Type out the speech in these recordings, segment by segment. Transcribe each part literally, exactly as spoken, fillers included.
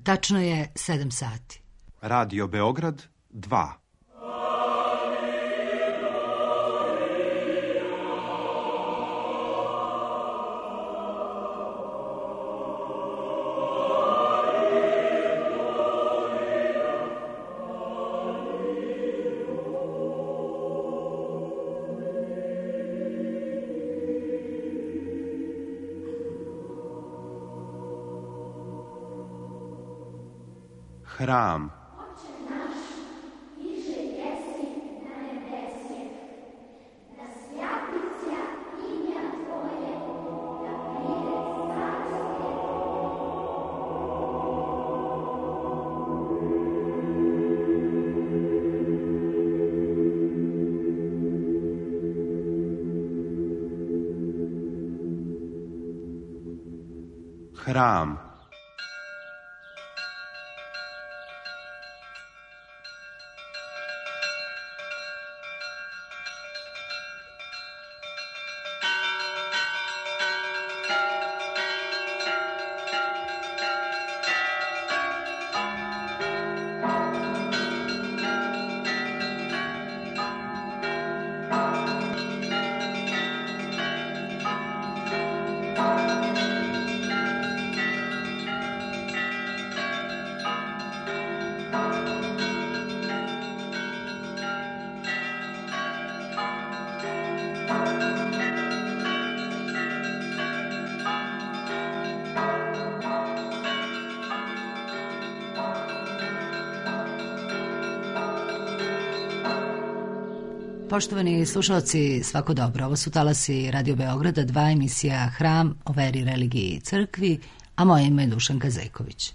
Tačno je sedam sati. Radio Beograd dva. Hram. Hram. Poštovani slušalci, svako dobro. Ovo su talasi Radio Beograda, dva, emisija Hram o veri, religiji i crkvi, a moje ime je Dušanka Zejković.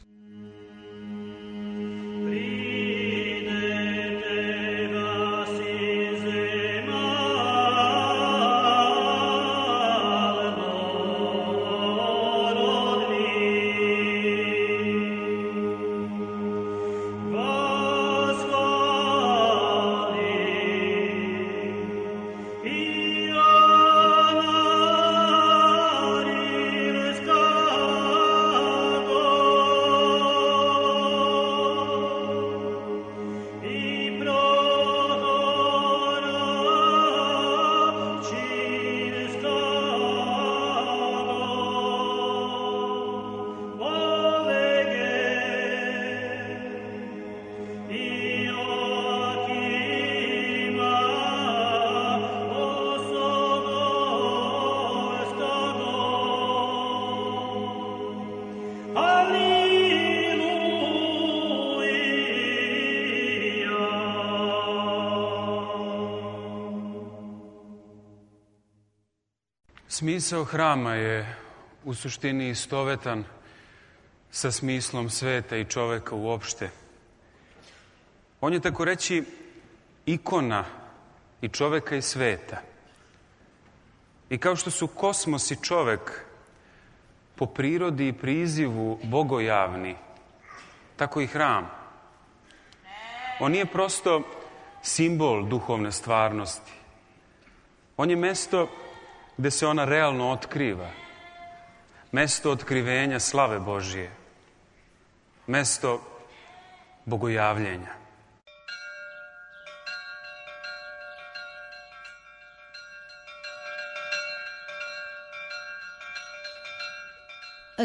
Smisao hrama je u suštini istovetan sa smislom sveta i čoveka uopšte. On je, tako reći, ikona i čoveka i sveta. I kao što su kosmos i čovek po prirodi i prizivu bogojavni, tako i hram. On nije prosto simbol duhovne stvarnosti. On je mesto gde se ona realno otkriva. Mesto otkrivenja slave Božije. Mesto bogojavljenja.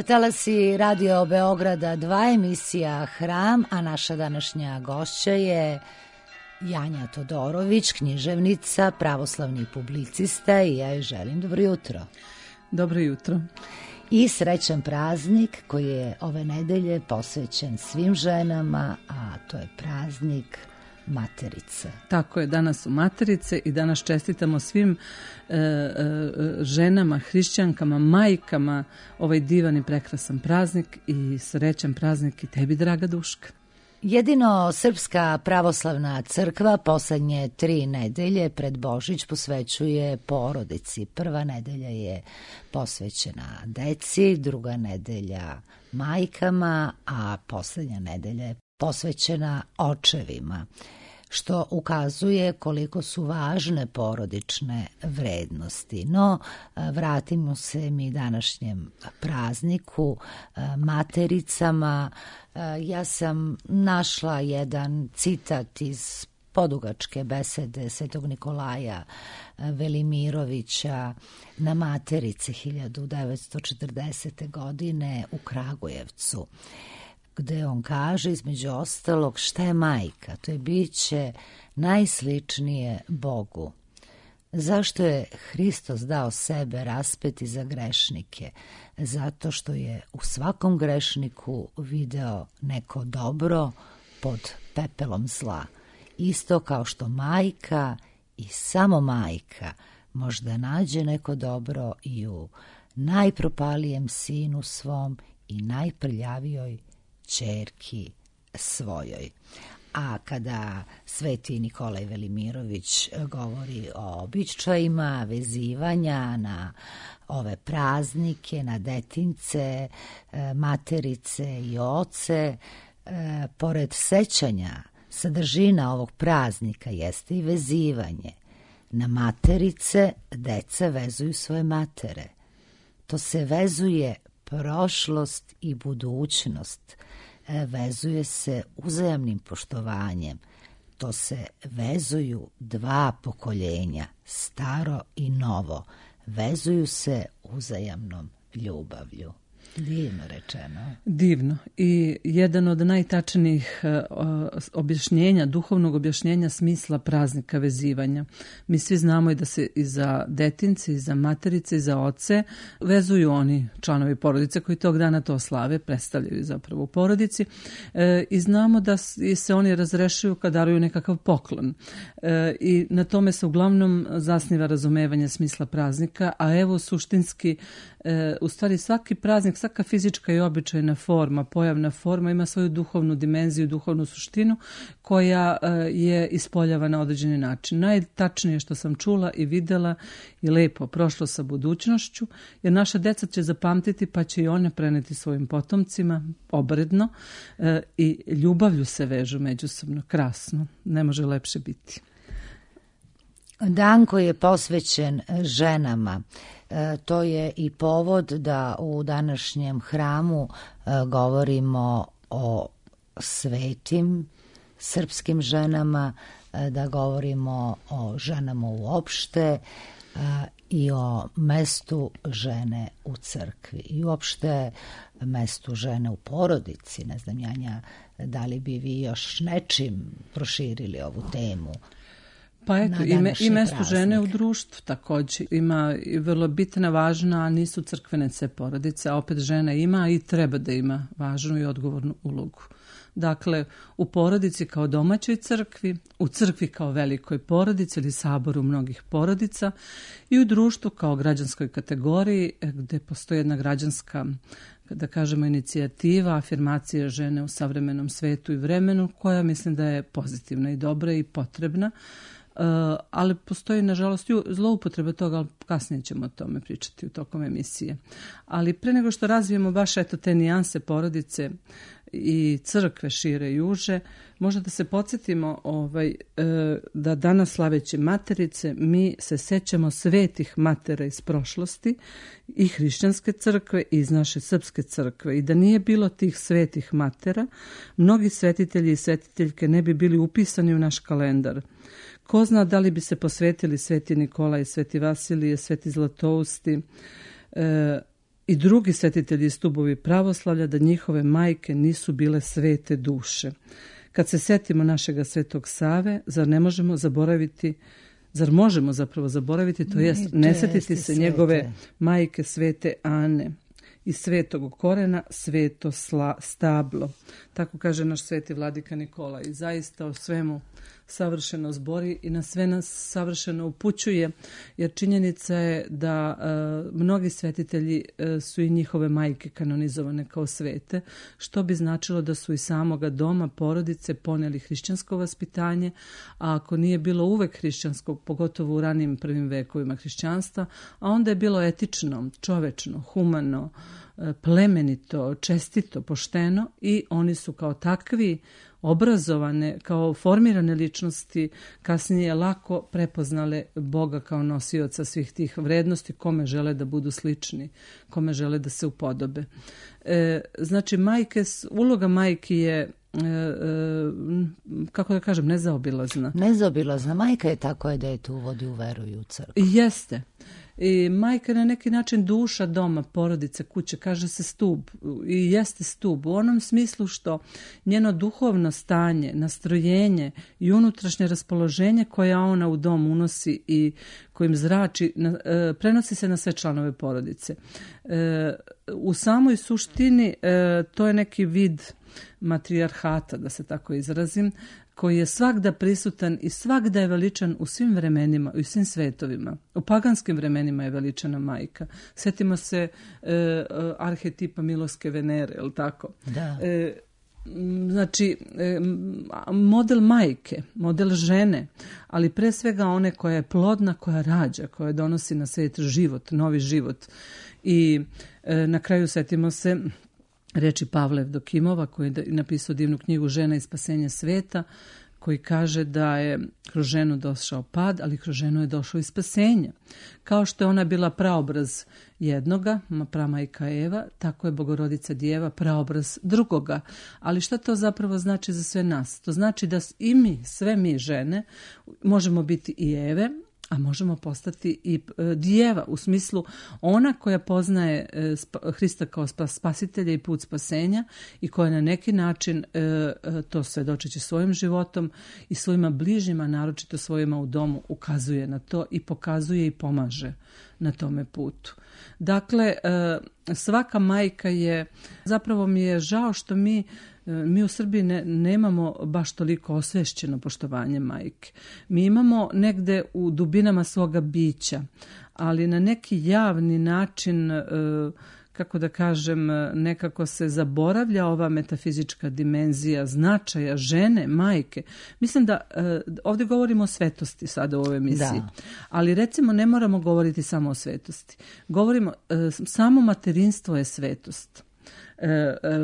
Talasi Radio Beograda dva, emisija Hram, a naša današnja gošća je Janja Todorović, književnica, pravoslavni publicista, i ja joj želim dobro jutro. Dobro jutro. I srećan praznik koji je ove nedelje posvećen svim ženama, a to je praznik Materice. Tako je, danas su Materice i danas čestitamo svim e, e, ženama, hrišćankama, majkama ovaj divan i prekrasan praznik i srećan praznik i tebi, draga Duška. Jedino Srpska pravoslavna crkva poslednje tri nedelje pred Božić posvećuje porodici. Prva nedelja je posvećena deci, druga nedelja majkama, a poslednja nedelja je posvećena očevima. što ukazuje koliko su važne porodične vrednosti. No, vratimo se mi današnjem prazniku, matericama. Ja sam našla jedan citat iz podugačke besede Svetog Nikolaja Velimirovića na Materici hiljadu devetsto četrdesete. godine u Kragujevcu, gde on kaže između ostalog šta je majka, to je biće najsličnije Bogu. Zašto je Hristos dao sebe raspeti za grešnike? Zato što je u svakom grešniku video neko dobro pod pepelom zla. Isto kao što majka i samo majka možda nađe neko dobro i u najpropalijem sinu svom i najprljavijoj ćerki svojoj. A kada sveti Nikolaj Velimirović govori o običajima vezivanja na ove praznike, na detince, materice i oce, pored sećanja, sadržina ovog praznika jeste i vezivanje. Na materice deca vezuju svoje matere. To se vezuje prošlost i budućnost. Vezuje se uzajamnim poštovanjem. To se vezuju dva pokoljenja, staro i novo. Vezuju se uzajamnom ljubavlju. Divno rečeno. Divno. I jedan od najtačnijih uh, objašnjenja, duhovnog objašnjenja smisla praznika vezivanja. Mi svi znamo i da se i za detince, i za materice, i za oce vezuju oni članovi porodice koji tog dana to slave, predstavljaju zapravo u porodici. E, I znamo da se oni razrešuju kad daruju nekakav poklon. E, I na tome se uglavnom zasniva razumevanje smisla praznika, a evo suštinski, e, u stvari svaki praznik, svaka fizička i običajna forma, pojavna forma ima svoju duhovnu dimenziju, duhovnu suštinu koja je ispoljava na određeni način. Najtačnije što sam čula i videla i lepo prošlo sa budućnošću, jer naša deca će zapamtiti pa će i one preneti svojim potomcima obredno i ljubavlju se vežu međusobno. Krasno, ne može lepše biti. Dan koji je posvećen ženama, to je i povod da u današnjem hramu govorimo o svetim srpskim ženama, da govorimo o ženama uopšte i o mestu žene u crkvi i uopšte mestu žene u porodici. Ne znam, Janja, da li bi vi još nečim proširili ovu temu? Pa eto, i, me, i mesto žene u društvu također ima i vrlo bitna, važna, a nisu crkvene sve porodice, a opet žena ima i treba da ima važnu i odgovornu ulogu. Dakle, u porodici kao domaćoj crkvi, u crkvi kao velikoj porodici ili saboru mnogih porodica i u društvu kao građanskoj kategoriji gde postoji jedna građanska, da kažemo, inicijativa, afirmacija žene u savremenom svetu i vremenu koja mislim da je pozitivna i dobra i potrebna. Uh, ali postoji nažalost zloupotreba toga, ali kasnije ćemo o tome pričati u tokom emisije. Ali pre nego što razvijemo baš eto te nijanse porodice i crkve šire i uže, možda da se podsjetimo ovaj, uh, da danas slaveći materice mi se sećamo svetih matera iz prošlosti i hrišćanske crkve i iz naše srpske crkve i da nije bilo tih svetih matera, mnogi svetitelji i svetiteljke ne bi bili upisani u naš kalendar. Ko zna da li bi se posvetili sveti Nikolaj, sveti Vasilije, sveti Zlatousti e, i drugi svetitelji i stubovi pravoslavlja da njihove majke nisu bile svete duše. Kad se setimo našega svetog Save, zar ne možemo zaboraviti, zar možemo zapravo zaboraviti, to jest ne setiti se njegove majke svete Ane i svetog korena sveto sla, stablo. Tako kaže naš sveti vladika Nikola i zaista o svemu savršeno zbori i na sve nas savršeno upućuje, jer činjenica je da e, mnogi svetitelji e, su i njihove majke kanonizovane kao svete, što bi značilo da su i samoga doma, porodice poneli hrišćansko vaspitanje, a ako nije bilo uvek hrišćanskog, pogotovo u ranijim prvim vekovima hrišćanstva, a onda je bilo etično, čovečno, humano, plemenito, čestito, pošteno i oni su kao takvi obrazovane, kao formirane ličnosti, kasnije lako prepoznale Boga kao nosioca svih tih vrednosti, kome žele da budu slični, kome žele da se upodobe. E, znači, majke, uloga majki je, e, e, kako da kažem, nezaobilazna. Nezaobilazna. Majka je ta koja dete uvodi u veru i u crkvu. Jeste. I majka je na neki način duša doma, porodice, kuće, kaže se stub i jeste stub u onom smislu što njeno duhovno stanje, nastrojenje i unutrašnje raspoloženje koja ona u dom unosi i kojim zrači, prenosi se na sve članove porodice. U samoj suštini to je neki vid matrijarhata, da se tako izrazim, koji je svagda prisutan i svagda je veličan u svim vremenima, u svim svetovima. U paganskim vremenima je veličana majka. Sjetimo se e, arhetipa Miloske Venere, je li tako? Da. E, znači, e, model majke, model žene, ali pre svega one koja je plodna, koja rađa, koja donosi na svijet život, novi život. I e, na kraju sjetimo se reči Pavla Evdokimova, koji je napisao divnu knjigu Žena i spasenje sveta, koji kaže da je kroz ženu došao pad, ali kroz ženu je došao i spasenje. Kao što je ona bila praobraz jednoga, pramajka Eva, tako je Bogorodica Djeva praobraz drugoga. Ali šta to zapravo znači za sve nas? To znači da i mi, sve mi žene, možemo biti i Eve, a možemo postati i djeva, u smislu ona koja poznaje Hrista kao spasitelja i put spasenja i koja na neki način to svedočeći svojim životom i svojima bližnjima, naročito svojima u domu, ukazuje na to i pokazuje i pomaže na tome putu. Dakle, svaka majka je, zapravo mi je žao što mi Mi u Srbiji ne, nemamo baš toliko osvešćeno poštovanje majke. Mi imamo negde u dubinama svoga bića, ali na neki javni način, kako da kažem, nekako se zaboravlja ova metafizička dimenzija značaja žene, majke. Mislim da ovdje govorimo o svetosti sada u ovoj emisiji, da. Ali recimo ne moramo govoriti samo o svetosti. Govorimo, samo materinstvo je svetost.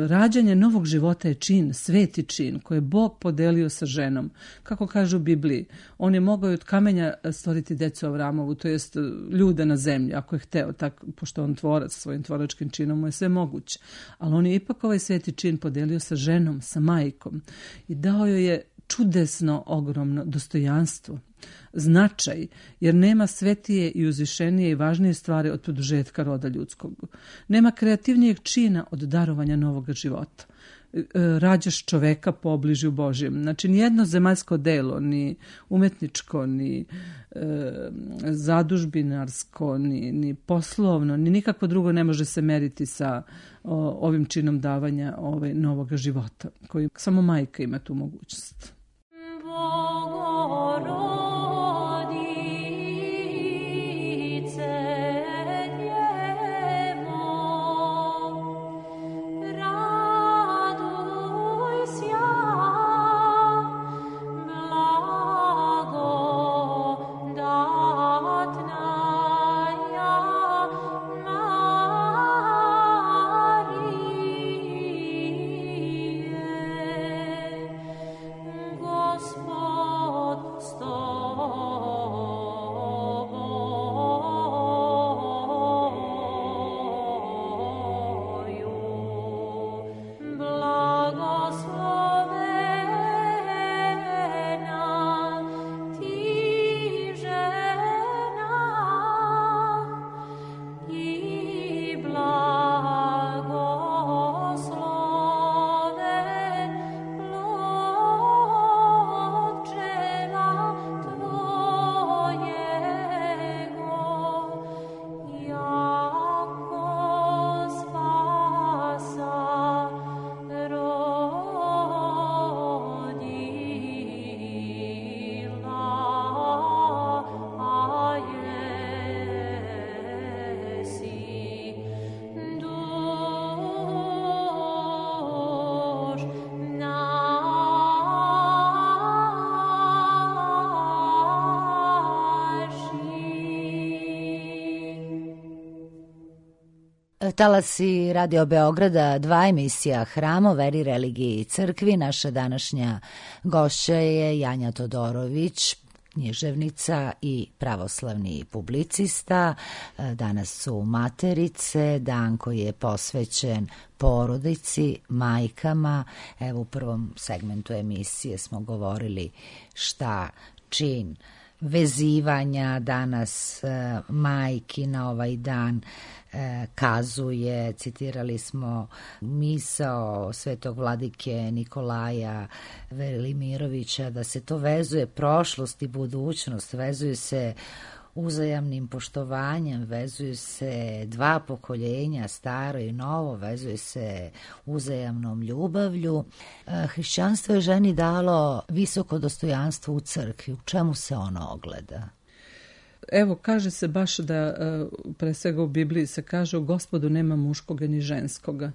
Rađanje novog života je čin, sveti čin koji je Bog podelio sa ženom. Kako kaže u Bibliji, on je mogao od kamenja stvoriti decu Avramovu, to jest ljude na zemlji, ako je hteo, tako, pošto on tvorac svojim tvoračkim činom mu je sve moguće. Ali on je ipak ovaj sveti čin podelio sa ženom, sa majkom i dao joj je čudesno, ogromno dostojanstvo, značaj, jer nema svetije i uzvišenije i važnije stvari od produžetka roda ljudskog. Nema kreativnijeg čina od darovanja novog života. Rađaš čoveka po obližju Božjem. Znači, nijedno zemaljsko delo, ni umetničko, ni e, zadužbinarsko, ni, ni poslovno, ni nikako drugo ne može se meriti sa o, ovim činom davanja ovaj, novog života, koji samo majka ima tu mogućnost. Stop. talasi Radio Beograda dva emisija Hram o veri, religiji i crkvi. Naša današnja gošća je Janja Todorović, književnica i pravoslavni publicista. Danas su Materice, dan koji je posvećen porodici, majkama. Evo u prvom segmentu emisije smo govorili šta čin vezivanja danas e, majki na ovaj dan e, kazuje. Citirali smo misao svetog vladike Nikolaja Velimirovića da se to vezuje prošlost i budućnost, vezuje se uzajamnim poštovanjem, vezuju se dva pokoljenja, staro i novo, vezuje se uzajamnom ljubavlju. Hrišćanstvo je ženi dalo visoko dostojanstvo u crkvi. U čemu se ono ogleda? Evo, kaže se baš da, pre svega u Bibliji se kaže, u Gospodu nema muškoga ni ženskoga.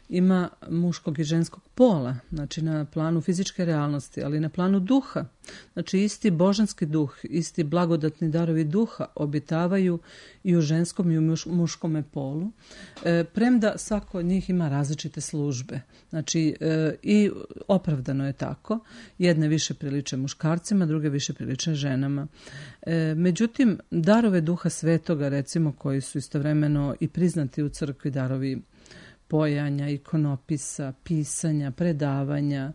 Ima muškog i ženskog pola, znači na planu fizičke realnosti, ali na planu duha. Znači isti božanski duh, isti blagodatni darovi duha obitavaju i u ženskom i u muš, muškome polu, e, premda svako od njih ima različite službe. Znači e, i opravdano je tako. Jedne više priliče muškarcima, druge više priliče ženama. E, međutim, darove duha svetoga, recimo, koji su istovremeno i priznati u crkvi, darovi pojanja, ikonopisa, pisanja, predavanja,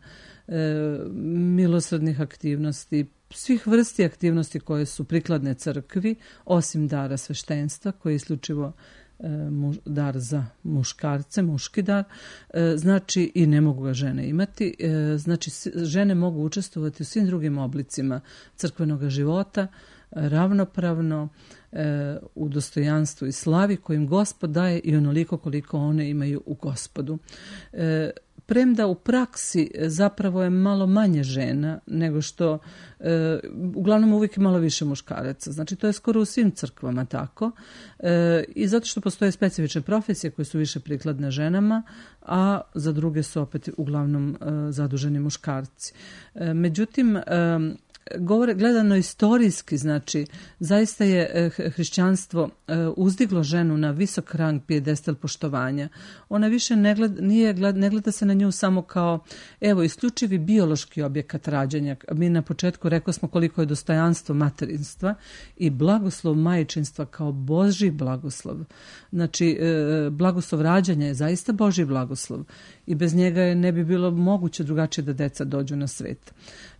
e, milosrdnih aktivnosti, svih vrsti aktivnosti koje su prikladne crkvi, osim dara sveštenstva, koji je isključivo e, muž, dar za muškarce, muški dar, e, znači i ne mogu ga žene imati, e, znači žene mogu učestvovati u svim drugim oblicima crkvenog života, ravnopravno, e, u dostojanstvu i slavi kojim Gospod daje i onoliko koliko one imaju u Gospodu. E, premda u praksi zapravo je malo manje žena nego što, e, uglavnom uvijek je malo više muškaraca. Znači to je skoro u svim crkvama tako. E, I zato što postoje specifične profesije koje su više prikladne ženama, a za druge su opet uglavnom e, zaduženi muškarci. E, međutim, e, govore, gledano istorijski, znači zaista je hrišćanstvo uzdiglo ženu na visok rang pijedestal poštovanja. Ona više ne gleda, nije, ne gleda se na nju samo kao evo isključivi biološki objekat rađanja. Mi na početku rekao smo koliko je dostojanstvo materinstva i blagoslov majčinstva kao Božji blagoslov. Znači blagoslov rađanja je zaista Božji blagoslov i bez njega je ne bi bilo moguće drugačije da deca dođu na svet.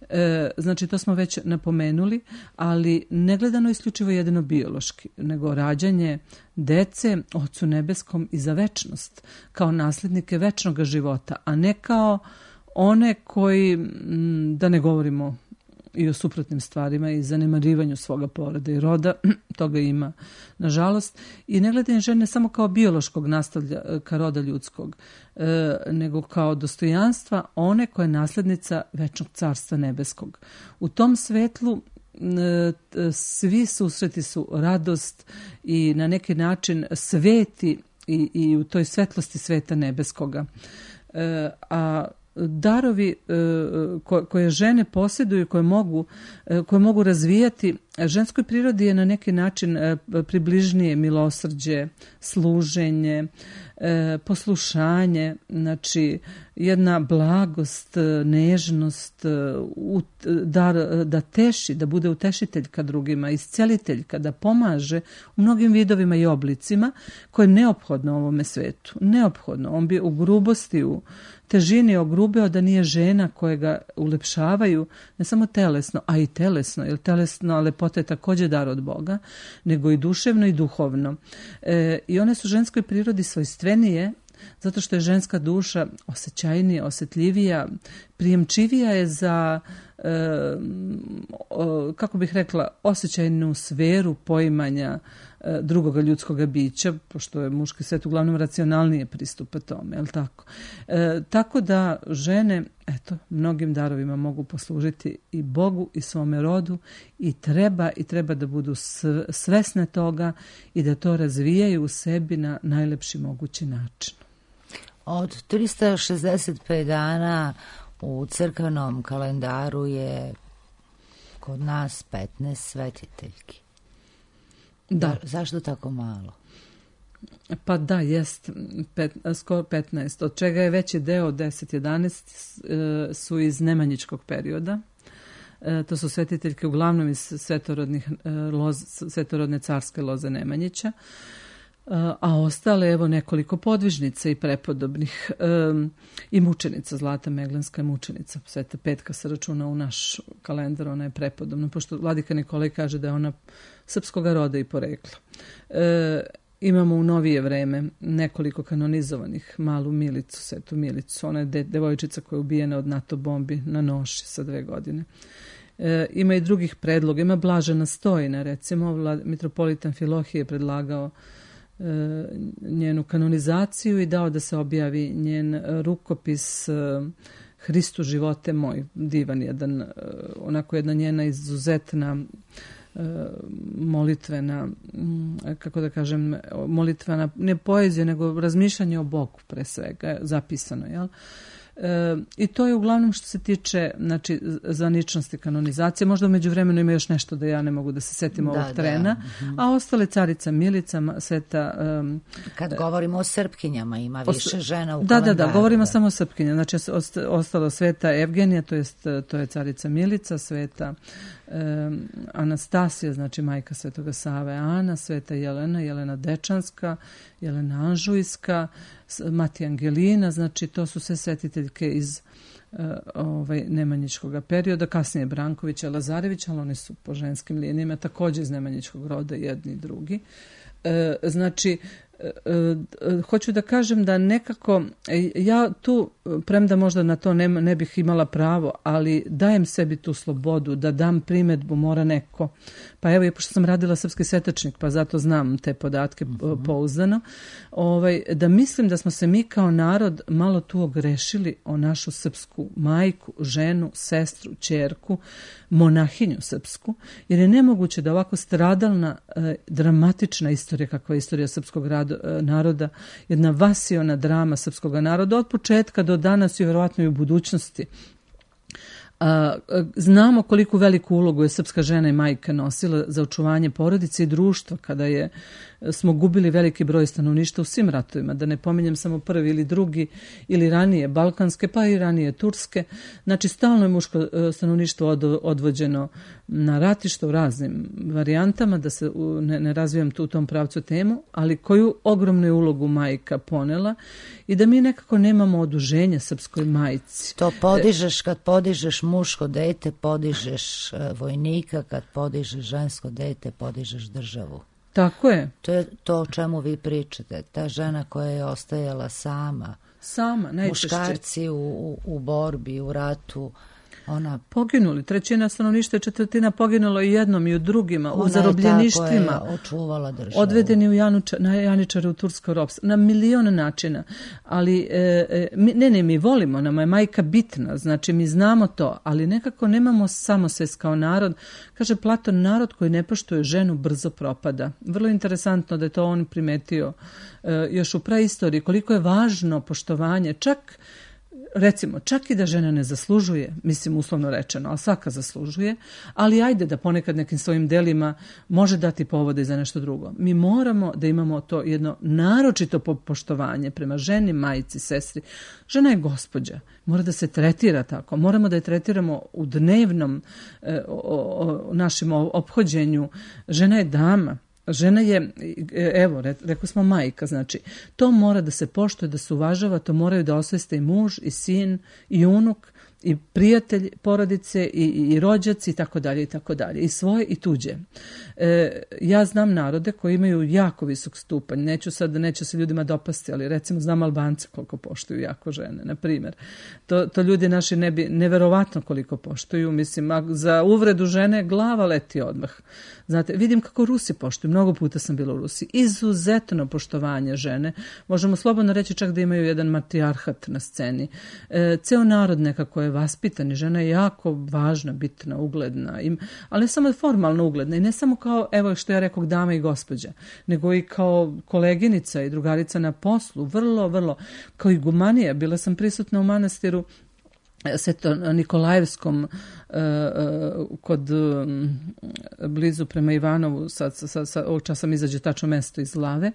E, znači to smo već napomenuli, ali ne gledano isključivo jedino biološki, nego rađanje dece Ocu nebeskom i za večnost, kao nasljednike večnog života, a ne kao one koji, da ne govorimo i o suprotnim stvarima i zanemarivanju svoga poroda i roda, toga ima nažalost, i ne gledanje žene samo kao biološkog nastavljaka roda ljudskog, e, nego kao dostojanstva one koja je nasljednica večnog carstva nebeskog. U tom svetlu e, svi susreti su radost i na neki način sveti i, i u toj svetlosti sveta nebeskoga. E, a darovi koje žene posjeduju, koje mogu, koje mogu razvijati, ženskoj prirodi je na neki način približnije milosrđe, služenje, poslušanje, znači jedna blagost, nežnost, dar, da teši, da bude utešiteljka drugima, isceliteljka, da pomaže u mnogim vidovima i oblicima koje je neophodno u ovome svetu. Neophodno. On bi u grubosti, u težini ogrubeo da nije žena koje ga ulepšavaju, ne samo telesno, a i telesno, jer telesno lepota je također dar od Boga, nego i duševno i duhovno. E, I one su ženskoj prirodi svojstvenije, zato što je ženska duša osjećajnija, osjetljivija, prijemčivija je za, e, o, kako bih rekla, osjećajnu sferu poimanja e, drugoga ljudskoga bića, pošto je muški svet uglavnom racionalnije pristupa tome, je li tako? E, tako da žene, eto, mnogim darovima mogu poslužiti i Bogu i svome rodu i treba i treba da budu svesne toga i da to razvijaju u sebi na najlepši mogući način. Od trista šezdeset pet dana u crkvenom kalendaru je kod nas petnaest svetiteljki. Da. Zašto tako malo? Pa da, jest, pet, skoro petnaest, od čega je veći deo deset jedanaest su iz nemanjičkog perioda. E, to su svetiteljke uglavnom iz svetorodnih, loz, svetorodne carske loze Nemanjića, a ostale evo nekoliko podvižnica i prepodobnih e, i mučenica. Zlata Meglenska je mučenica, Sveta Petka se računa u naš kalendar, ona je prepodobna, pošto vladika Nikolaj kaže da je ona srpskoga roda i porekla. E, imamo u novije vreme nekoliko kanonizovanih, malu Milicu, Svetu Milicu, ona je de, devojčica koja je ubijena od NATO bombi na noši sa dve godine. E, ima i drugih predloga, ima Blažena Stojina, recimo, Vlad, mitropolita Amfilohije je predlagao njenu kanonizaciju i dao da se objavi njen rukopis Hristu živote moj, divan jedan, onako jedna njena izuzetna molitvena, kako da kažem, molitvena, ne poezija, nego razmišljanje o Bogu pre svega, zapisano, jel? E, I to je uglavnom što se tiče, znači, zvaničnosti kanonizacije. Možda u međuvremenu ima još nešto da ja ne mogu da se setim da, ovog da. trena, uh-huh. a ostale Carica Milica, Sveta... Um, Kad govorimo o Srpkinjama, ima više žena u da, kalendaru. Da, da, govorimo da. samo o Srpkinjama. Znači, ostalo Sveta Evgenija, to, jest, to je Carica Milica, Sveta um, Anastasija, znači majka Svetoga Save Ana, Sveta Jelena, Jelena Dečanska, Jelena Anžujska, Matija Angelina, znači to su sve svetiteljke iz uh, ovaj, nemanjičkog perioda, kasnije Brankovića, Lazarević, ali oni su po ženskim linijama također iz nemanjičkog roda, jedni i drugi. E, znači, e, e, hoću da kažem da nekako, ja tu, premda možda na to ne, ne bih imala pravo, ali dajem sebi tu slobodu da dam primedbu, mora neko. Pa evo, pošto sam radila srpski svetačnik, pa zato znam te podatke uh-huh. pouzdano, ovaj, da mislim da smo se mi kao narod malo tu ogrešili o našu srpsku majku, ženu, sestru, ćerku, monahinju srpsku, jer je nemoguće da ovako stradalna, eh, dramatična istorija, kakva je istorija srpskog rado, eh, naroda, jedna vasiona drama srpskog naroda, od početka do danas i vjerovatno i u budućnosti. A, znamo koliko veliku ulogu je srpska žena i majka nosila za očuvanje porodice i društva kada je smo gubili veliki broj stanovništva u svim ratovima, da ne pominjem samo prvi ili drugi ili ranije balkanske, pa i ranije turske. Znači, stalno je muško stanovništvo od, odvođeno na ratište u raznim varijantama, da se u, ne, ne razvijam tu u tom pravcu temu, ali koju ogromnu ulogu majka ponela i da mi nekako nemamo oduženja srpskoj majci. To podižeš kad podižeš muško dete, podižeš vojnika, kad podižeš žensko dete, podižeš državu. Tako je. To je to o čemu vi pričate. Ta žena koja je ostajala sama. Sama, najčešće. Muškarci u, u, u borbi, u ratu. Ona... Poginuli. Trećina stanovništva, četvrtina poginulo i jednom i u drugima, u zarobljeništvima. Ona je ta koja je očuvala državu. Odvedeni u Januča, na Janičare u tursko ropstvo. Na milion načina. Ali, e, mi, ne, ne, mi volimo, nama je majka bitna, znači mi znamo to, ali nekako nemamo samosvest kao narod. Kaže Platon, narod koji ne poštuje ženu brzo propada. Vrlo interesantno da je to on primetio e, još u praistoriji, koliko je važno poštovanje, čak recimo, čak i da žena ne zaslužuje, mislim uslovno rečeno, ali svaka zaslužuje, ali ajde da ponekad nekim svojim delima može dati povode za nešto drugo. Mi moramo da imamo to jedno naročito poštovanje prema ženi, majci, sestri. Žena je gospođa, mora da se tretira tako, moramo da je tretiramo u dnevnom e, o, o, našem ophođenju. Žena je dama. Žena je, evo, rekao smo majka, znači, to mora da se poštuje, da se uvažava, to moraju da osveste i muž, i sin, i unuk, i prijatelj porodice, i, i rođaci, i tako dalje, i tako dalje, i svoje, i tuđe. E, ja znam narode koji imaju jako visok stupanj, neću sad, neću se ljudima dopasti, ali recimo znam Albance koliko poštuju jako žene, na primjer. To, to ljudi naši ne bi, neverovatno koliko poštuju, mislim, a za uvredu žene glava leti odmah. Znate, vidim kako Rusi poštuju, mnogo puta sam bila u Rusiji, izuzetno poštovanje žene, možemo slobodno reći čak da imaju jedan matrijarhat na sceni. E, ceo narod nekako je vaspitan i žena je jako važna, bitna, ugledna, im, ali ne samo formalno ugledna i ne samo kao, evo što ja rekao, dama i gospođa, nego i kao koleginica i drugarica na poslu, vrlo, vrlo, kao igumanija. Bila sam prisutna u manastiru Sveto Nikolajevskom kod blizu prema Ivanovu, sad, sad, sad, ovog časa mi izađe tačno mesto iz glave,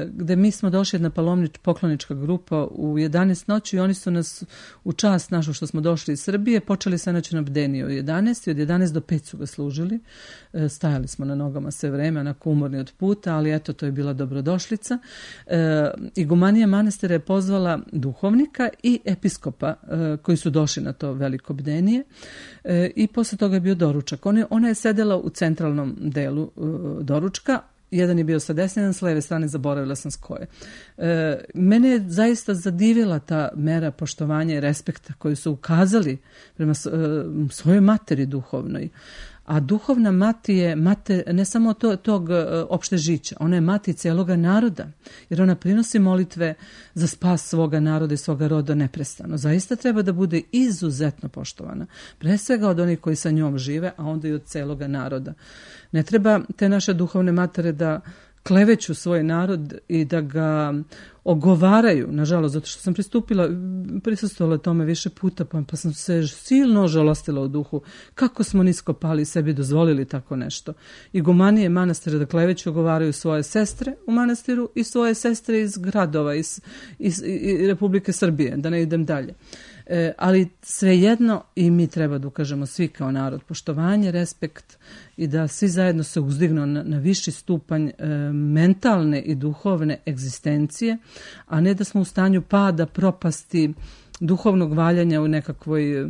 gde mi smo došli jedna palomnič, poklonička grupa u jedanaest noći i oni su nas u čast našu što smo došli iz Srbije počeli sa noći na bdeniju od jedanaest i od jedanaest do pet su ga služili. Stajali smo na nogama sve vreme, onako umorni od puta, ali eto, to je bila dobrodošlica. Igumanija manastira je pozvala duhovnika i episkopa koji su došli na to veliko bdenije i posle toga je bio doručak. Ona, ona je sedela u centralnom delu doručka, jedan je bio sa desne, jedan s leve strane, zaboravila sam s koje. E, mene je zaista zadivila ta mera poštovanja i respekta koju su ukazali prema e, svojoj materi duhovnoj. A duhovna mati je mate ne samo to, tog opšte žića, ona je mati cijeloga naroda, jer ona prinosi molitve za spas svoga naroda i svoga roda neprestano. Zaista treba da bude izuzetno poštovana, pre svega od onih koji sa njom žive, a onda i od cijeloga naroda. Ne treba te naše duhovne matere da kleveću svoj narod i da ga ogovaraju, nažalost, zato što sam pristupila, prisustvovala tome više puta, pa, pa sam se silno žalostila u duhu. Kako smo nisko pali i sebi dozvolili tako nešto. Igumanije manastira da kleveću ogovaraju svoje sestre u manastiru i svoje sestre iz gradova, iz, iz, iz Republike Srbije, da ne idem dalje. E, ali svejedno i mi treba da ukažemo svi kao narod poštovanje, respekt i da svi zajedno se uzdignu na, na viši stupanj e, mentalne i duhovne egzistencije, a ne da smo u stanju pada, propasti, duhovnog valjanja u nekakvoj e,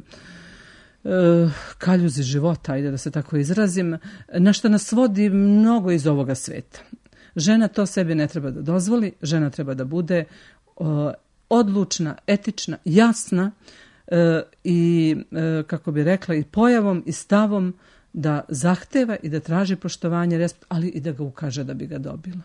kaljuzi života, ajde da se tako izrazim, na što nas vodi mnogo iz ovoga sveta. Žena to sebi ne treba da dozvoli, žena treba da bude o, odlučna, etična, jasna e, i, e, kako bi rekla, i pojavom i stavom da zahteva i da traži poštovanje, respekt, ali i da ga ukaže da bi ga dobila.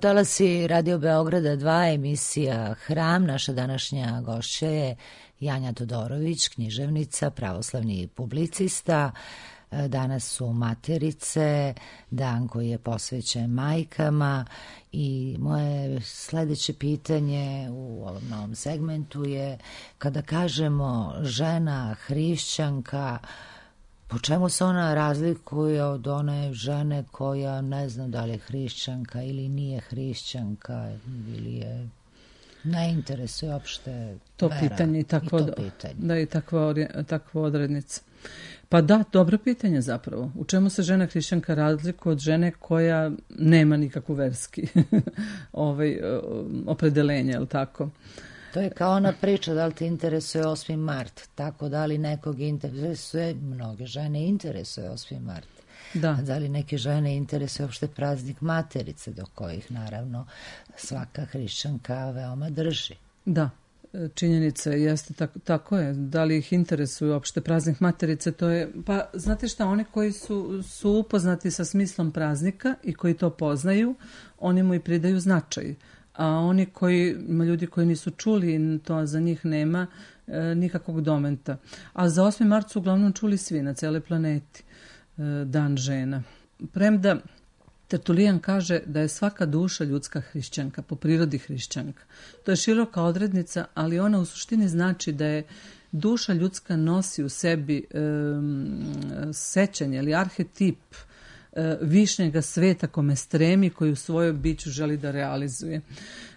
Talasi Radio Beograda dva, emisija Hram. Naša današnja gošća je Janja Todorović, književnica, pravoslavni publicista. Danas su materice, dan koji je posvećen majkama i moje sledeće pitanje u ovom novom segmentu je kada kažemo žena, hrišćanka, po čemu se ona razlikuje od one žene koja ne znam da li je hrišćanka ili nije hrišćanka ili je ne interesuje uopšte to vera pitanje i takvo, i to pitanje. Da, i takva, takva odrednica. Pa da, dobro pitanje zapravo. U čemu se žena hrišćanka razlikuje od žene koja nema nikakvu verski ovaj, opredelenje, je li tako? To je kao ona priča da li te interesuje osmi mart, tako da li nekog interesuje, mnoge žene interesuje osmi mart. Da. A da li neke žene interesuje uopšte praznik materice, do kojih naravno svaka hrišćanka veoma drži. Da, činjenica jeste tako, tako je. Da li ih interesuje uopšte praznik materice, to je, pa znate šta, oni koji su, su upoznati sa smislom praznika i koji to poznaju, oni mu i pridaju značaj. A oni koji, ljudi koji nisu čuli, to za njih nema e, nikakvog domenta. A za osmi mart su uglavnom čuli svi na celoj planeti, e, dan žena. Premda Tertulijan kaže da je svaka duša ljudska hrišćanka, po prirodi hrišćanka. To je široka odrednica, ali ona u suštini znači da je duša ljudska nosi u sebi e, sećanje ili arhetip e, višnjega sveta kome stremi, koji u svojoj biću želi da realizuje.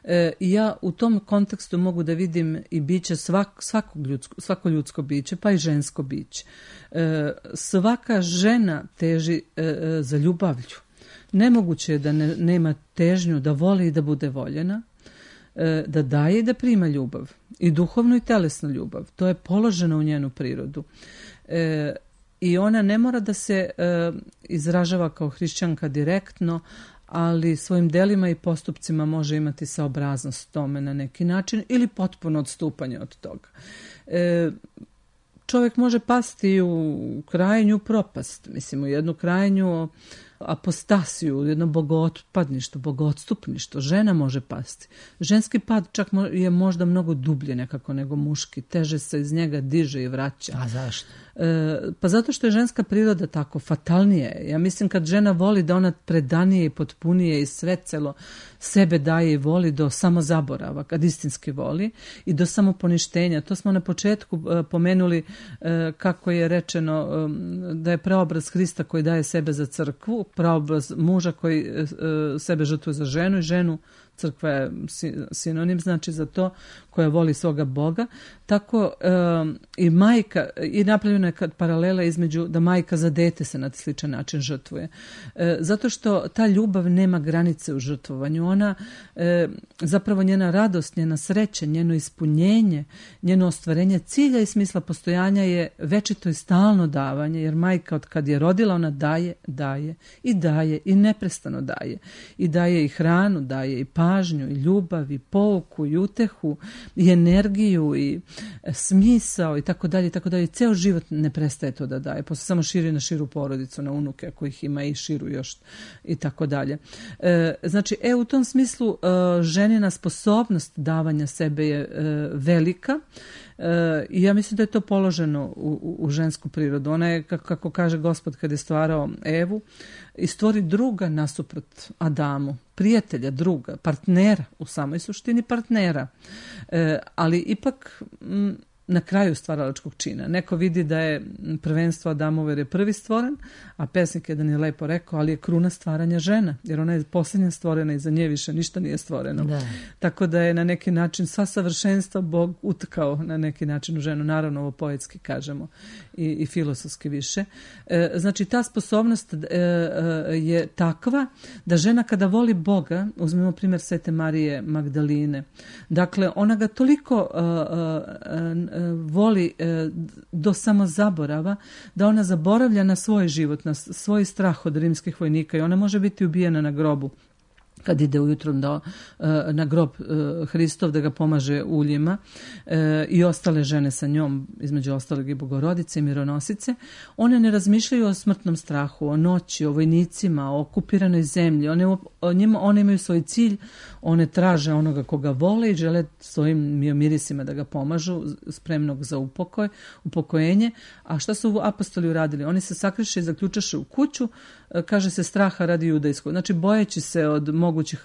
E, ja u tom kontekstu mogu da vidim i biće svak, svakog ljudsko, svako ljudsko biće, pa i žensko biće. E, svaka žena teži e, za ljubavlju. Nemoguće je da ne, nema težnju da voli i da bude voljena, e, da daje i da prima ljubav. I duhovnu i telesnu ljubav. To je položeno u njenu prirodu. E, I ona ne mora da se e, izražava kao hrišćanka direktno, ali svojim delima i postupcima može imati saobraznost tome na neki način ili potpuno odstupanje od toga. E, čovjek može pasti u krajnju propast, mislim u jednu krajnju apostasiju, jedno bogootpadništvo, bogoodstupništvo. Žena može pasti. Ženski pad čak je možda mnogo dublje nekako nego muški. Teže se iz njega diže i vraća. A zašto? E, pa zato što je ženska priroda tako fatalnije. Ja mislim kad žena voli da ona predanije i potpunije i sve celo sebe daje i voli do samozaborava, kad istinski voli, i do samoponištenja. To smo na početku e, pomenuli e, kako je rečeno e, da je preobraz Hrista koji daje sebe za crkvu, preobraz muža koji e, sebe žrtvuje za ženu i ženu, crkva je sinonim, znači za to, koja voli svoga Boga. Tako e, i majka, i napravljena je paralela između da majka za dete se na sličan način žrtvuje. E, zato što ta ljubav nema granice u žrtvovanju. Ona, e, zapravo njena radost, njena sreća, njeno ispunjenje, njeno ostvarenje cilja i smisla postojanja je večito i stalno davanje, jer majka od kad je rodila, ona daje, daje i daje i neprestano daje. I daje i hranu, daje i pažnju, i ljubav, i pouku, i utehu, i energiju, i smisao, i tako dalje, i tako dalje. Ceo život ne prestaje to da daje. Posle samo širi na širu porodicu, na unuke, ako ih ima, i širu još, i tako dalje. E, znači, e, u tom smislu e, ženina sposobnost davanja sebe je e, velika, e, i ja mislim da je to položeno u, u, u žensku prirodu. Ona je, kako, kako kaže Gospod kad je stvarao Evu, i stvori druga nasuprot Adamu, prijatelja, druga, partnera, u samoj suštini partnera. E, ali ipak m, na kraju stvaralačkog čina. Neko vidi da je prvenstvo Adamove jer je prvi stvoren, a pesnik jedan je lepo rekao, ali je kruna stvaranja žena, jer ona je posljednja stvorena i za nje više ništa nije stvoreno. Da. Tako da je na neki način sva savršenstva Bog utkao na neki način u ženu. Naravno, ovo poetski kažemo i, i filosofski više. E, znači, ta sposobnost e, e, je takva da žena kada voli Boga, uzmemo primjer Svete Marije Magdaline, dakle, ona ga toliko e, e, voli e, do samozaborava da ona zaboravlja na svoj život, na svoj strah od rimskih vojnika i ona može biti ubijena na grobu kad ide ujutro da, na grob Hristov da ga pomaže uljima, e, i ostale žene sa njom, između ostalog i Bogorodice i mironosice, one ne razmišljaju o smrtnom strahu, o noći, o vojnicima, o okupiranoj zemlji. One, o njima, one imaju svoj cilj, one traže onoga koga vole i žele svojim mirisima da ga pomažu, spremnog za upokoj, upokojenje. A šta su apostoli uradili? Oni se sakriše i zaključaše u kuću, kaže se straha radi judejskog. Znači, bojeći se od mogućih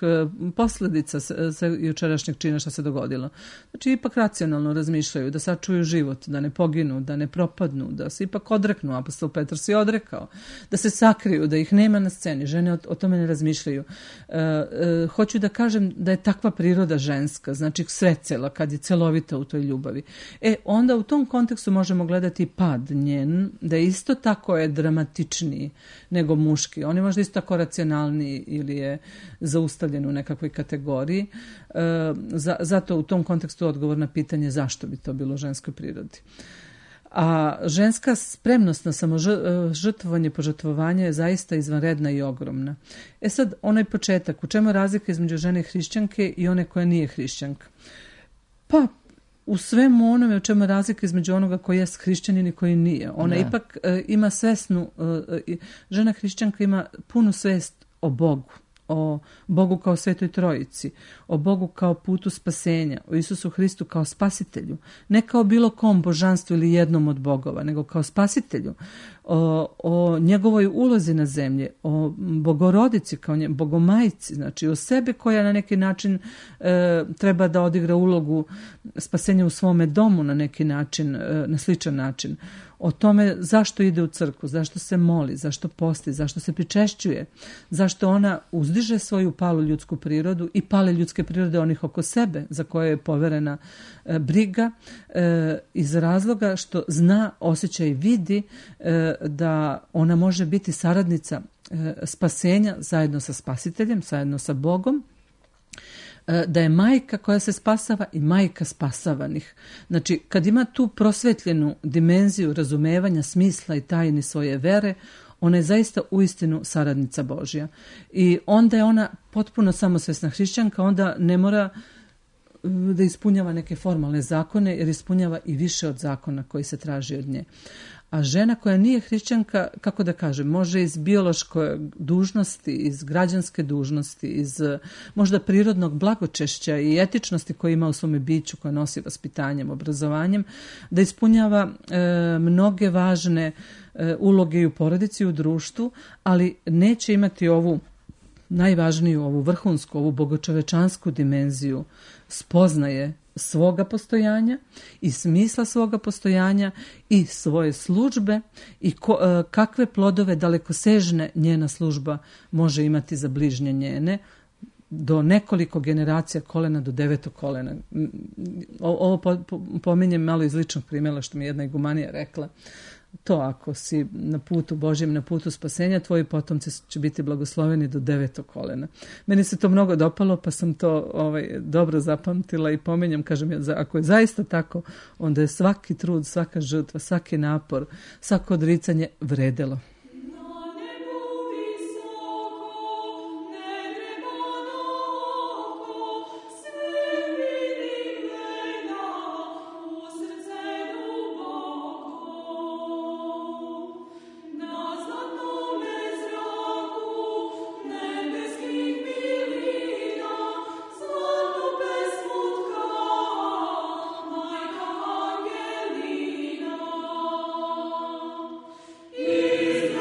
posljedica sa jučerašnjeg čina što se dogodilo. Znači, ipak racionalno razmišljaju da sačuju život, da ne poginu, da ne propadnu, da se ipak odreknu. Apostol Petar se odrekao. Da se sakriju, da ih nema na sceni. Žene o, o tome ne razmišljaju. E, e, hoću da kažem da je takva priroda ženska, znači sve cela, kad je celovita u toj ljubavi. E, onda u tom kontekstu možemo gledati pad njen, da isto tako je dramatičniji nego mu muški. On je možda isto tako racionalniji ili je zaustavljen u nekakvoj kategoriji. E, za, zato u tom kontekstu odgovor na pitanje zašto bi to bilo u ženskoj prirodi. A ženska spremnost na samožrtvovanje, požrtvovanje je zaista izvanredna i ogromna. E sad, onaj početak, u čemu je razlika između žene hrišćanke i one koja nije hrišćanka? Pa, u svemu onome u čemu je razlika između onoga koji je hrišćanin i koji nije. Ona ne. ipak e, ima svesnu, e, žena hrišćanka ima punu svest o Bogu, o Bogu kao Svetoj Trojici, o Bogu kao putu spasenja, o Isusu Hristu kao spasitelju, ne kao bilo kom božanstvu ili jednom od bogova, nego kao spasitelju, o, o njegovoj ulozi na zemlji, o Bogorodici kao nje, Bogomajci, znači o sebi koja na neki način e, treba da odigra ulogu spasenja u svome domu na neki način, e, na sličan način. O tome zašto ide u crkvu, zašto se moli, zašto posti, zašto se pričešćuje, zašto ona uzdiže svoju palu ljudsku prirodu i pale ljudske prirode onih oko sebe za koje je poverena e, briga e, iz razloga što zna, osjeća i vidi e, da ona može biti saradnica e, spasenja zajedno sa spasiteljem, zajedno sa Bogom, da je majka koja se spasava i majka spasavanih. Znači, kad ima tu prosvetljenu dimenziju razumevanja smisla i tajni svoje vere, ona je zaista uistinu saradnica Božja. I onda je ona potpuno samosvesna hrišćanka, onda ne mora da ispunjava neke formalne zakone, jer ispunjava i više od zakona koji se traži od nje. A žena koja nije hrišćanka, kako da kažem, može iz biološke dužnosti, iz građanske dužnosti, iz možda prirodnog blagočešća i etičnosti koje ima u svome biću, koja nosi vaspitanjem, obrazovanjem, da ispunjava e, mnoge važne e, uloge i u porodici i u društvu, ali neće imati ovu najvažniju, ovu vrhunsku, ovu bogočovečansku dimenziju spoznaje svoga postojanja i smisla svoga postojanja i svoje službe i ko, e, kakve plodove dalekosežne njena služba može imati za bližnje njene do nekoliko generacija kolena do devetog kolena. O, ovo po, po, pominjem malo iz ličnog primjera što mi jedna igumanija rekla. To ako si na putu Božjem, na putu spasenja, tvoji potomci će biti blagosloveni do devetog kolena. Meni se to mnogo dopalo, pa sam to ovaj, dobro zapamtila i pominjem, kažem, ako je zaista tako, onda je svaki trud, svaka žrtva, svaki napor, svako odricanje vredelo. Is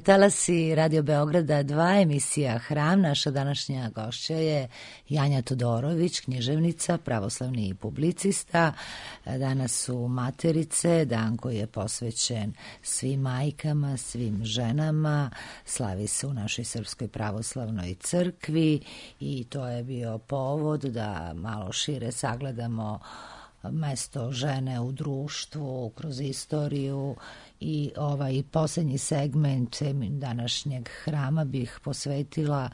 talasi Radio Beograda dva, emisija Hram. Naša današnja gošća je Janja Todorović, književnica, pravoslavni publicista. Danas su Materice, dan koji je posvećen svim majkama, svim ženama. Slavi se u našoj Srpskoj pravoslavnoj crkvi i to je bio povod da malo šire sagledamo mesto žene u društvu, kroz istoriju i ovaj posljednji segment današnjeg hrama bih posvetila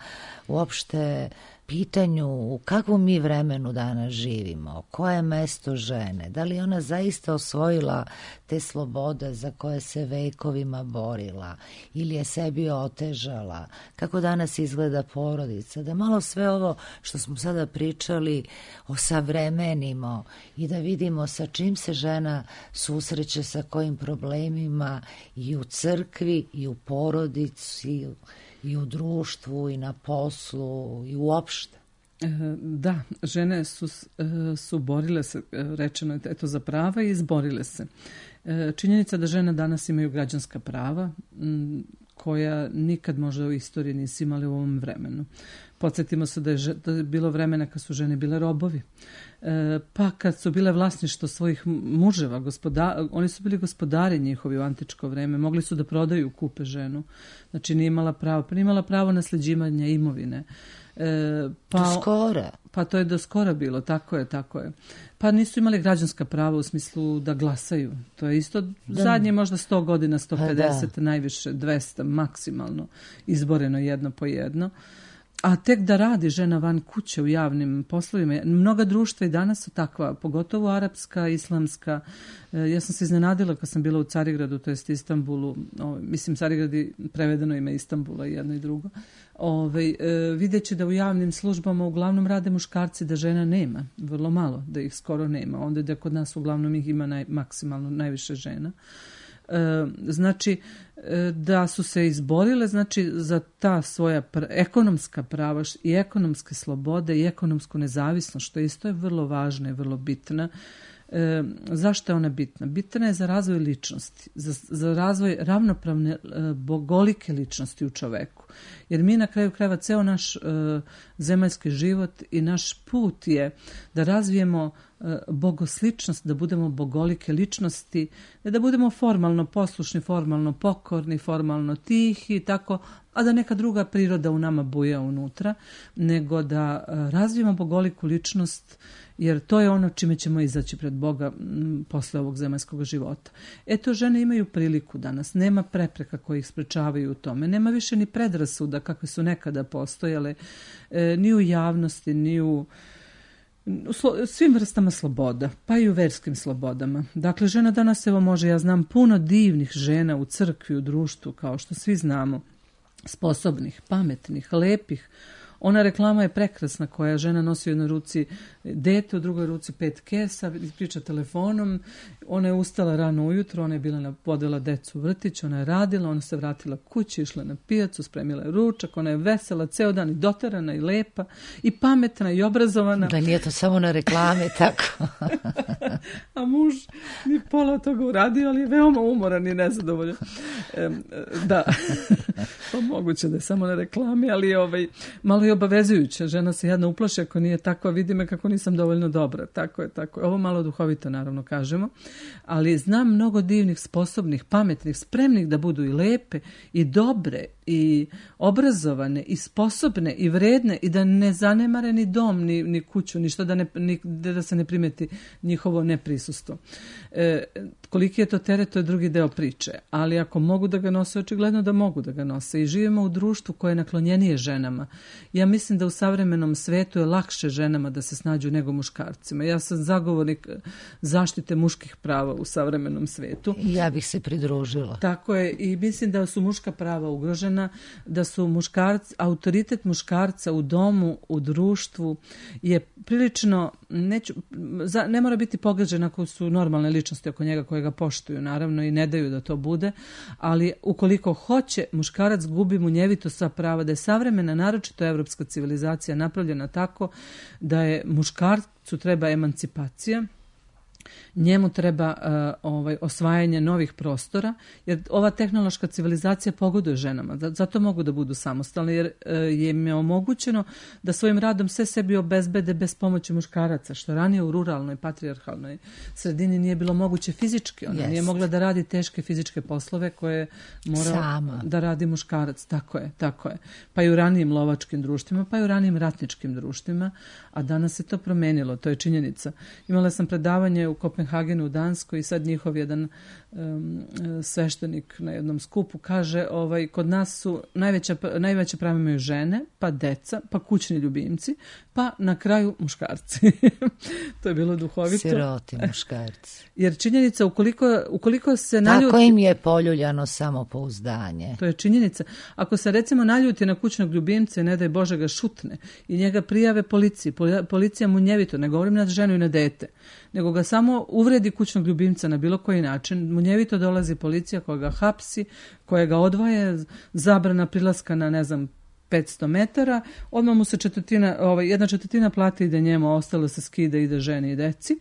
uopšte pitanju u kakvom mi vremenu danas živimo, koje je mesto žene, da li ona zaista osvojila te slobode za koje se vekovima borila ili je sebi otežala, kako danas izgleda porodica, da malo sve ovo što smo sada pričali osavremenimo i da vidimo sa čim se žena susreće, sa kojim problemima i u crkvi i u porodici i u društvu i na poslu i uopšte. Da, žene su, su borile se, rečeno je eto, za prava i izborile se. Činjenica da žene danas imaju građanska prava koja nikad možda u istoriji nisu imali u ovom vremenu. Podsjetimo se da je, da je bilo vremena kad su žene bile robovi. E, pa kad su bile vlasništvo svojih muževa, gospoda, oni su bili gospodari njihovi u antičko vreme, mogli su da prodaju, kupe ženu. Znači nije imala pravo, pa nije imala pravo nasljeđivanja imovine. E, pa, do skora. Pa to je do skora bilo, tako je, tako je. Pa nisu imali građanska prava u smislu da glasaju. To je isto da. Zadnje možda sto godina, sto pedeset, pa najviše dvesta, maksimalno izboreno jedno po jedno. A tek da radi žena van kuće u javnim poslovima. Mnoga društva i danas su takva, pogotovo arapska, islamska. Ja sam se iznenadila kad sam bila u Carigradu, to jest Istanbulu. Ove, mislim, Carigradi prevedeno ime Istanbula i jedno i drugo. Ove, videći da u javnim službama uglavnom rade muškarci, da žena nema. Vrlo malo, da ih skoro nema. Onda da kod nas uglavnom ih ima naj, maksimalno najviše žena. E, znači da su se izborile znači za ta svoja pr- ekonomska prava i ekonomske slobode i ekonomsku nezavisnost, što isto je vrlo važna i vrlo bitna. E, zašto je ona bitna? Bitna je za razvoj ličnosti, za, za razvoj ravnopravne e, bogolike ličnosti u čoveku. Jer mi na kraju krajeva ceo naš e, zemaljski život i naš put je da razvijemo e, bogosličnost, da budemo bogolike ličnosti, ne da budemo formalno poslušni, formalno pokorni, formalno tihi i tako, a da neka druga priroda u nama buja unutra, nego da e, razvijemo bogoliku ličnost, jer to je ono čime ćemo izaći pred Boga m, posle ovog zemaljskog života. Eto, žene imaju priliku danas, nema prepreka koji ih sprečavaju u tome, nema više ni predrasuda kakve su nekada postojale, e, ni u javnosti, ni u, u slo, svim vrstama sloboda, pa i u verskim slobodama. Dakle, žena danas, evo može, ja znam puno divnih žena u crkvi, u društvu, kao što svi znamo, sposobnih, pametnih, lepih. Ona reklama je prekrasna koja žena nosi u jednoj ruci dete, u drugoj ruci pet kesa, priča telefonom. Ona je ustala rano ujutro, ona je bila vodila decu u vrtić, ona je radila, ona se vratila kući, išla na pijacu, spremila je ručak, ona je vesela ceo dan i doterana i lepa i pametna i obrazovana. Da nije to samo na reklame, tako. A muž ni pola toga uradio, ali je veoma umoran i nezadovoljan. E, da, pa moguće da je samo na reklami, ali je ovaj, malo je obavezujuće. Žena se jedna uplaši ako nije takva, vidi me kako nisam dovoljno dobra. Tako je, tako je. Ovo malo duhovito, naravno, kažemo. Ali znam mnogo divnih, sposobnih, pametnih, spremnih da budu i lepe, i dobre, i obrazovane, i sposobne, i vredne, i da ne zanemare ni dom, ni, ni kuću, ništa, da, ne, ni, da se ne primeti njihovo neprisustvo. E, koliki je to teret, to je drugi deo priče. Ali ako mogu da ga nose, očigledno da mogu da ga nose. I živimo u društvu koje je naklonjenije ženama. Ja mislim da u savremenom svetu je lakše ženama da se snađu nego muškarcima. Ja sam zagovornik zaštite muških prava u savremenom svetu. Ja bih se pridružila. Tako je, i mislim da su muška prava ugrožena, da su muškarci, autoritet muškarca u domu, u društvu je prilično, neću, za, ne mora biti pogađen ako su normalne ličnosti oko njega koje ga poštuju, naravno, i ne daju da to bude, ali ukoliko hoće, muškarac gubi munjevito sva prava, da je savremena, naročito evropska civilizacija napravljena tako da je muškarcu treba emancipacija, njemu treba uh, ovaj, osvajanje novih prostora, jer ova tehnološka civilizacija pogoduje ženama. Zato mogu da budu samostalne, jer uh, je im je omogućeno da svojim radom sve sebi obezbede bez pomoći muškaraca, što ranije u ruralnoj, patrijarhalnoj sredini nije bilo moguće fizički. Ona Jest. nije mogla da radi teške fizičke poslove koje mora Sama. da radi muškarac. Tako je, tako je. Pa i u ranijim lovačkim društvima, pa i u ranijim ratničkim društvima, a danas se to promenilo, to je činjenica. Imala sam predavanje u Kopenhagenu u Danskoj i sad njihov jedan um, sveštenik na jednom skupu kaže, ovaj, kod nas su najveća, najveće prava imaju žene, pa deca, pa kućni ljubimci, pa na kraju muškarci. To je bilo duhovito. Siroti muškarci. Jer činjenica, ukoliko, ukoliko se naljuti... Tako im je poljuljano samopouzdanje. To je činjenica. Ako se recimo naljuti na kućnog ljubimca i ne daj Bože ga šutne i njega prijave policiji, policija mu njevito, ne govorim na ženu i na dete, nego ga samo uvredi kućnog ljubimca na bilo koji način, munjevito dolazi policija koja ga hapsi, koja ga odvaje, zabrana prilaska na, ne znam, petsto metara, odmah mu se četvrtina, ovaj, jedna četvrtina plati ide njemu, ostalo se skida, ide ženi i deci.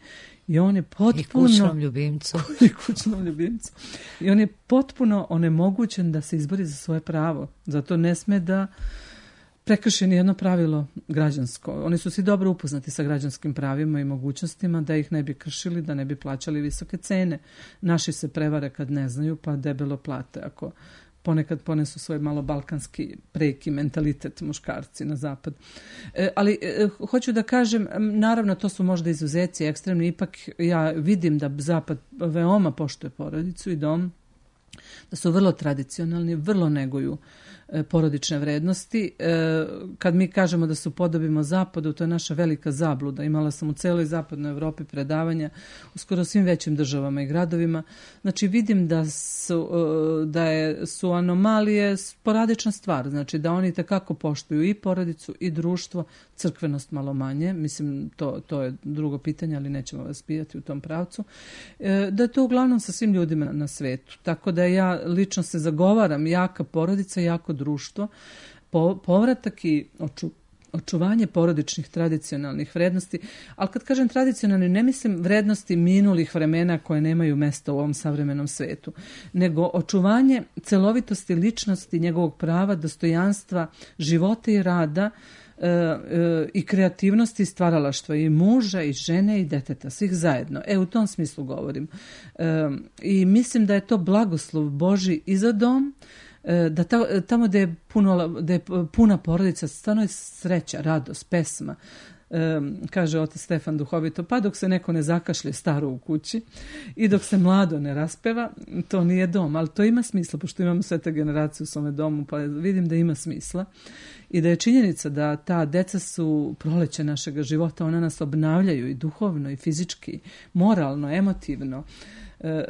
I on je potpuno... I kućnom ljubimcu. I kućnom ljubimcu. I on je potpuno onemogućen da se izbori za svoje pravo. Zato ne sme da prekrši nijedno pravilo građansko. Oni su svi dobro upoznati sa građanskim pravima i mogućnostima da ih ne bi kršili, da ne bi plaćali visoke cene. Naši se prevare kad ne znaju, pa debelo plate ako ponekad ponesu svoj malo balkanski preki mentalitet muškarci na zapad. E, ali e, hoću da kažem, naravno to su možda izuzeci ekstremni, ipak ja vidim da zapad veoma poštuje porodicu i dom, da su vrlo tradicionalni, vrlo neguju e, porodične vrednosti. E, kad mi kažemo da su podobimo zapadu, to je naša velika zabluda. Imala sam u celoj zapadnoj Evropi predavanja u skoro svim većim državama i gradovima. Znači vidim da su, e, da je, su anomalije sporadična stvar. Znači da oni takako poštuju i porodicu i društvo, crkvenost malo manje. Mislim, to, to je drugo pitanje, ali nećemo vas pijati u tom pravcu. E, da je to uglavnom sa svim ljudima na, na svetu. Tako da ja lično se zagovaram jaka porodica, jako društvo, po, povratak i oču, očuvanje porodičnih tradicionalnih vrednosti, ali kad kažem tradicionalni, ne mislim vrednosti minulih vremena koje nemaju mesta u ovom savremenom svetu, nego očuvanje celovitosti ličnosti, njegovog prava, dostojanstva, života i rada, E, e, i kreativnosti i stvaralaštva i muža i žene i deteta, svih zajedno. E, u tom smislu govorim. E, I mislim da je to blagoslov Božji i za dom, e, da ta, tamo gde je, puno, gde je puna porodica, stvarno je sreća, radost, pesma. E, kaže otac Stefan duhovito, pa dok se neko ne zakašlje staro u kući i dok se mlado ne raspeva, to nije dom, ali to ima smisla, pošto imamo sve te generacije u svome domu, pa vidim da ima smisla i da je činjenica da ta deca su proleće našeg života, ona nas obnavljaju i duhovno i fizički, moralno, emotivno. E,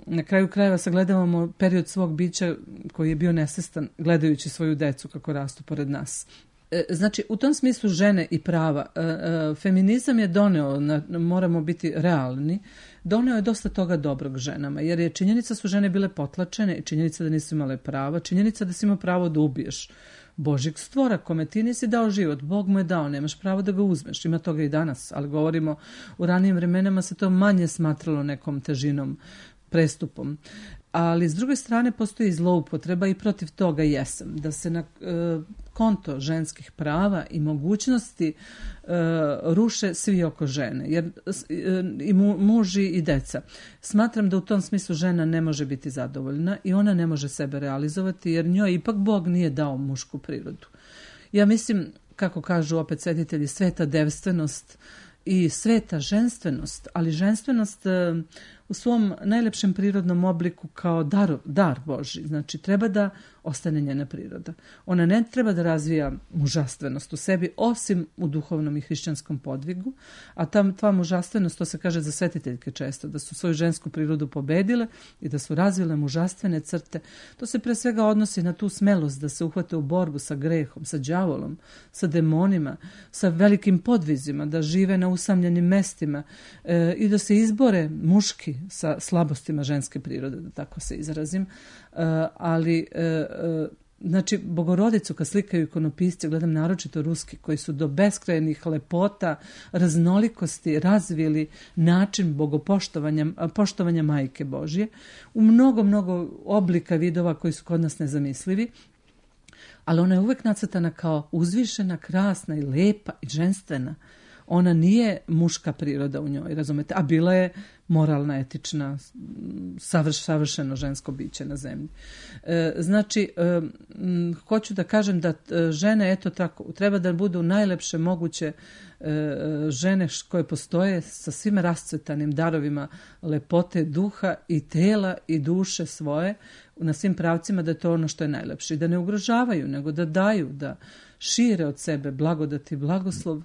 na kraju krajeva sagledavamo period svog bića koji je bio nesvestan gledajući svoju decu kako rastu pored nas. Znači, u tom smislu žene i prava, feminizam je doneo, moramo biti realni, doneo je dosta toga dobrog ženama, jer je činjenica su žene bile potlačene, činjenica da nisu imale prava, činjenica da si imao pravo da ubiješ Božjeg stvora, kome ti nisi dao život, Bog mu je dao, nemaš pravo da ga uzmeš, ima toga i danas, ali govorimo, u ranijim vremenama se to manje smatralo nekom težinom, prestupom. Ali s druge strane postoji zloupotreba i protiv toga jesam, da se na e, konto ženskih prava i mogućnosti e, ruše svi oko žene, jer e, i mu, muži i deca. Smatram da u tom smislu žena ne može biti zadovoljna i ona ne može sebe realizovati, jer njoj ipak Bog nije dao mušku prirodu. Ja mislim, kako kažu opet svetitelji, sveta devstvenost i sveta ženstvenost, ali ženstvenost e, u svom najlepšem prirodnom obliku kao dar, dar Božji. Znači, treba da ostane njena priroda. Ona ne treba da razvija mužastvenost u sebi, osim u duhovnom i hrišćanskom podvigu, a ta, ta mužastvenost, to se kaže za svetiteljke često, da su svoju žensku prirodu pobedile i da su razvile mužastvene crte. To se pre svega odnosi na tu smelost da se uhvate u borbu sa grehom, sa đavolom, sa demonima, sa velikim podvizima, da žive na usamljenim mestima e, i da se izbore muški sa slabostima ženske prirode, da tako se izrazim. Uh, ali uh, Znači, Bogorodicu kad slikaju ikonopisci, gledam naročito ruski, koji su do beskrajnih lepota, raznolikosti razvili način bogopoštovanja, poštovanja Majke Božje u mnogo, mnogo oblika vidova koji su kod nas nezamislivi, ali ona je uvek nacrtana kao uzvišena, krasna i lepa i ženstvena. Ona nije muška priroda u njoj, razumete, a bila je moralna, etična, savrš, savršeno žensko biće na zemlji. E, znači, e, m, hoću da kažem da e, žene, eto tako, treba da budu najlepše moguće e, žene koje postoje sa svim rascvetanim darovima lepote duha i tela i duše svoje na svim pravcima, da je to ono što je najlepše. I da ne ugrožavaju, nego da daju, da šire od sebe blagodat i blagoslov,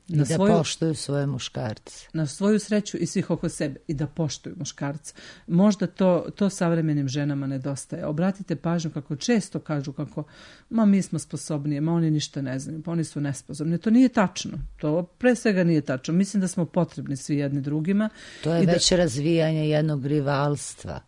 I da svoju, poštuju svoje muškarce. Na svoju sreću i svih oko sebe. I da poštuju muškarce. Možda to, to savremenim ženama nedostaje. Obratite pažnju kako često kažu kako ma mi smo sposobnije, ma oni ništa ne znaju, pa oni su nesposobni. To nije tačno. To pre svega nije tačno. Mislim da smo potrebni svi jedni drugima. To je već da, razvijanje jednog rivalstva.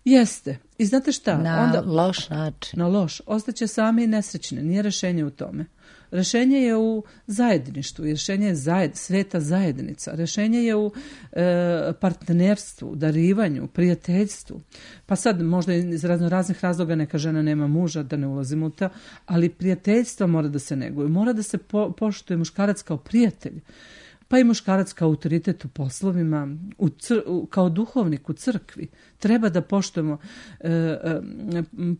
Jeste. I znate šta? Na Onda, loš način. Na loš. Ostaće sami i nesrećne. Nije rešenje u tome. Rešenje je u zajedništvu, rešenje je zajed, sveta zajednica, rešenje je u e, partnerstvu, darivanju, prijateljstvu. Pa sad možda iz razno raznih razloga neka žena nema muža, da ne ulazimo u to, ali prijateljstvo mora da se neguje, mora da se po, poštuje muškarac kao prijatelj. Pa i muškarac kao autoritet u poslovima, u cr, u, kao duhovnik u crkvi. Treba da poštujemo. E, e,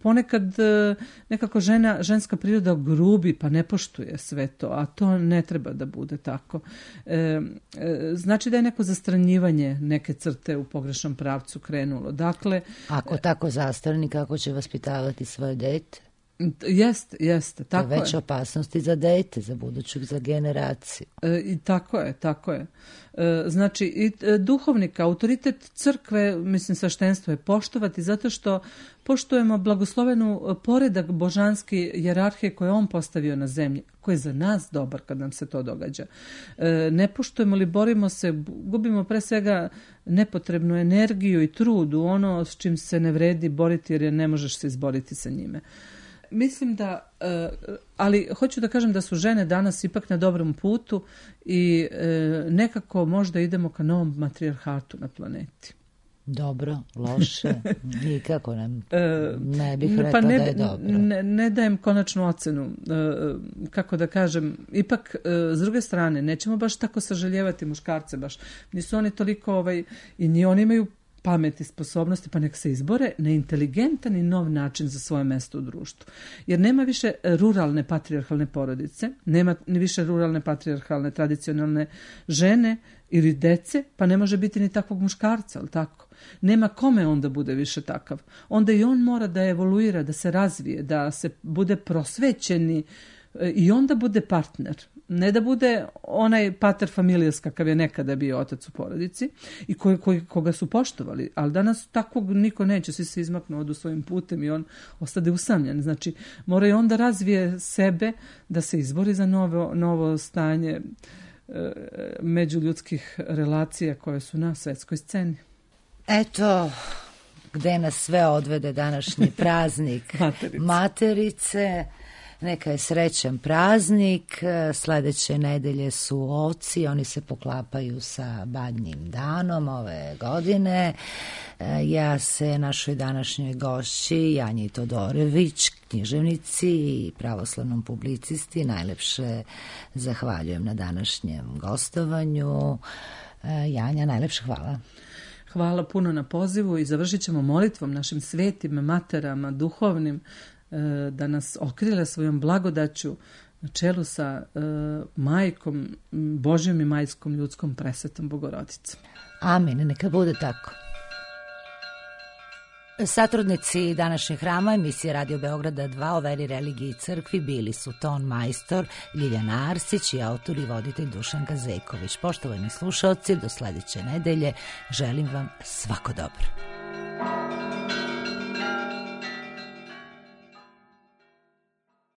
ponekad e, nekako žena, ženska priroda grubi pa ne poštuje sve to, a to ne treba da bude tako. E, e, znači da je neko zastranjivanje neke crte u pogrešnom pravcu krenulo. Dakle, ako tako zastrani, kako će vaspitavati svoje dete? Jeste, jeste. Tako to je već opasnosti za dete, za buduću, za generaciju. E, I tako je, tako je. E, znači, i e, duhovnika, autoritet crkve, mislim, sveštenstvo je poštovati, zato što poštujemo blagoslovenu poredak božanski jerarhije koje on postavio na zemlji, koji je za nas dobar kad nam se to događa. E, ne poštujemo li, borimo se, gubimo pre svega nepotrebnu energiju i trud u ono s čim se ne vredi boriti, jer ne možeš se izboriti sa njime. Mislim da, ali hoću da kažem da su žene danas ipak na dobrom putu i nekako možda idemo ka novom matrijarhatu na planeti. Dobro, loše, nikako nam, ne bih rekla pa ne, da je dobro. Ne, ne dajem konačnu ocenu, kako da kažem, ipak s druge strane nećemo baš tako sažaljevati muškarce, baš nisu oni toliko, ovaj, i ni oni imaju pamet i sposobnosti, pa nek se izbore na inteligentan i nov način za svoje mesto u društvu. Jer nema više ruralne patrijarhalne porodice, nema ni više ruralne patrijarhalne tradicionalne žene ili dece, pa ne može biti ni takvog muškarca, ali tako? Nema kome onda bude više takav. Onda i on mora da evoluira, da se razvije, da se bude prosvećeni i onda bude partner. Ne da bude onaj pater familijas kakav je nekada bio otac u porodici i koji, koji, koga su poštovali, ali danas takvog niko neće, svi se izmaknu, odu svojim putem i on ostade usamljen. Znači, mora i onda razvije sebe da se izbori za novo, novo stanje e, međuljudskih relacija koje su na svetskoj sceni. Eto, gde nas sve odvede današnji praznik Materice. Materice. Neka je srećan praznik, sledeće nedelje su ovci, oni se poklapaju sa Badnjim danom ove godine. Ja se našoj današnjoj gošći, Janji Todorević, književnici i pravoslavnom publicisti, najlepše zahvaljujem na današnjem gostovanju. Janja, najlepše hvala. Hvala puno na pozivu i završit ćemo molitvom našim svetim materama, duhovnim, da nas okrile svojom blagodaću na čelu sa uh, majkom, Božjom i majskom ljudskom presvetom Bogorodicom. Amin, neka bude tako. Satrudnici današnjeg hrama emisije Radio Beograda dva o veri, religiji i crkvi bili su ton majstor Ljiljana Arsić i autor i voditelj Dušan Gazejković. Poštovani slušaoci, do sledeće nedelje želim vam svako dobro.